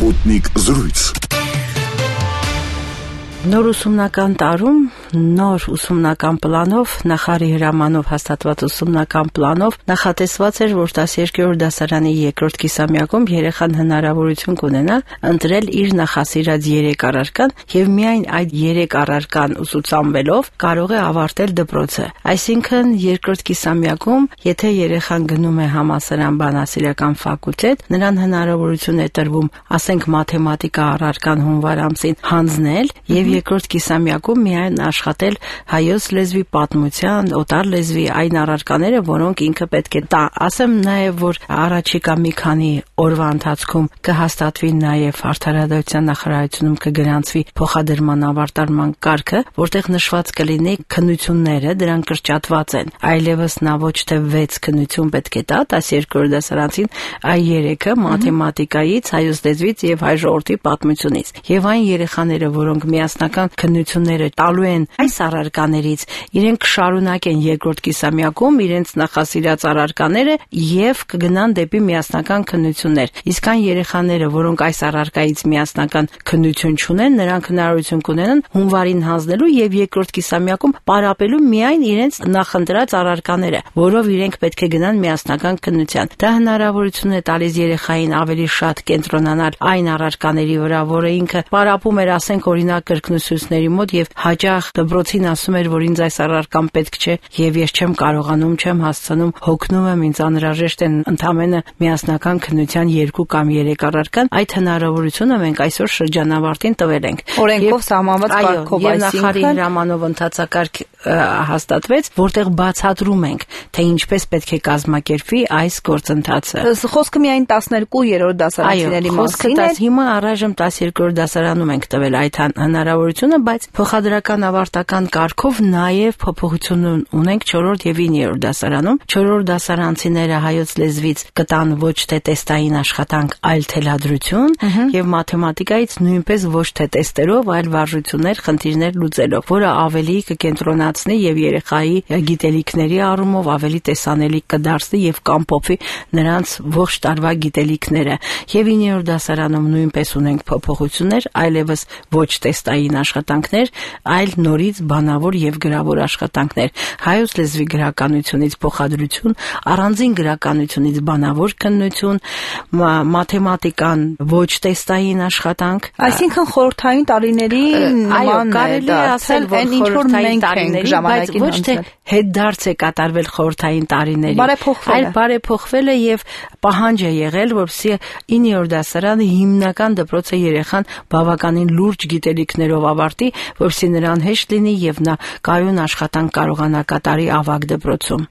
Sputnik զրույց։ Նոր ուսումնական տարում, նոր ուսումնական պլանով, նախարարի հրամանով հաստատված ուսումնական պլանով նախատեսված էր, որ 12-րդ դասարանի երկրորդ կիսամյակում երեխան հնարավորություն կունենա ընտրել իր նախասիրած 3 առարկան եւ միայն այդ 3 առարկան ուսուցանվելով կարող է ավարտել դպրոցը։ Այսինքն երկրորդ կիսամյակում, եթե երեխան գնում է համալսարան բանասիրական ֆակուլտետ, նրան հնարավորություն է տրվում, ասենք մաթեմատիկա առարկան հունվար ամսին հանձնել եւ երկրորդ կիսամյակում միայն աշխատել հայոց լեզվի, պատմության, օտար լեզվի այն առարկաները, որոնք ինքը պետք է տա։ Ասեմ նաև, որ առաջիկա մի քանի օրվա ընթացքում կհաստատվի նաև Արդարադատության նախարարությունում կգրանցվի փոխադրման ավարտարման կարգը, որտեղ նշված կլինի քննությունները, դրանք կրճատված են։ Այլևս նա ոչ թե 6 քննություն պետք է տա 12-րդ դասարանցին, այլ 3-ը մաթեմատիկայից, հայոց լեզվից եւ հայ ժողովրդի պատմությունից։ Եվ այն երեխաները, որոնք միասնական քննությունները տալու են այս առարկաներից, իրենք կշարունակեն երկրորդ կիսամյակում իրենց նախասիրած առարկաները եւ կգնան դեպի միասնական քննություններ։ Իսկ այն երեխաները, որոնք այս առարկայից միասնական քննություն չունեն, նրանք հնարավորություն կունենան հունվարին հանձնելու եւ երկրորդ կիսամյակում պարապելու միայն իրենց նախընտրած առարկաները, որով իրենք պետք է գնան միասնական քննության։ Դա հնարավորություն է տալիս երեխային ավելի շատ կենտրոնանալ այն առարկաների վրա, որը ինքը պարապում էր, ասենք օրինակ կրկնուսուցիչների մոտ եւ հաճախ դպրոցին ասում էր, որ ինձ այս առարկան պետք չէ եւ ես չեմ կարողանում, չեմ հասցնում, հոգնում եմ, ինձ անհրաժեշտ են ընդամենը միասնական քննության 2 կամ 3 առարկան։ Այդ հնարավորությունը մենք այսօր շրջանավարտին տվել ենք։ Օրենքով սահմանված կարգով, այսինքն նախարարի հրամանով ընդհանրակարգ հաստատվեց, որտեղ բացատրում ենք, թե ինչպես պետք է կազմակերպվի այս գործընթացը։ Խոսքը միայն 12-րդ դասարանցիների մասին է։ Հիմա առայժմ 12-րդ դասարանում ենք տվել այդ հնարավորությունը, բայց փոխադրական ավարտական կարգով նաև փոփոխություն ունենք 4-րդ եւ 9-րդ դասարանում։ 4-րդ դասարանցիները հայոց լեզվից կտան ոչ թե տեստային աշխատանք, այլ թելադրություն եւ մաթեմատիկայից նույնպես ոչ թե տեստերով, այլ վարժություններ, խնդիրներ լուծելով, որը ավելի կկենտրոնացնի եւ երեխայի գիտելիքների առումով ավելի տեսանելի կդարձնի եւ կամփոփի նրանց ողջ տարվա գիտելիքները։ Եվ 9-րդ դասարանում նույնպես ունենք փոփոխություններ, այլևս ոչ տեստային աշխատանքներ, այլ նորից բանավոր եւ գրավոր աշխատանքներ։ Հայոց լեզվի գրականությունից փոխադրություն, առանձին գրականությունից բանավոր քննություն, մաթեմատիկան ոչ տեստային աշխատանք։ Այսինքն խորհրդային տարիների նման կարելի է ասել, որ խորհրդային տարիների, բայց ոչ թե հետդարձ է կատարվել խորհրդային տարիների, այլ բարեփոխվել է եւ պահանջ է եղել, որպեսզի 9-րդ դասարանը հիմնական դպրոցը երեխան բավականին լուրջ գիտելիքներով ավարտի, որպեսզի նրան հեշտ լինի եւ նա կայուն աշխատանք կարողանա կատարի ավագ դպրոցում։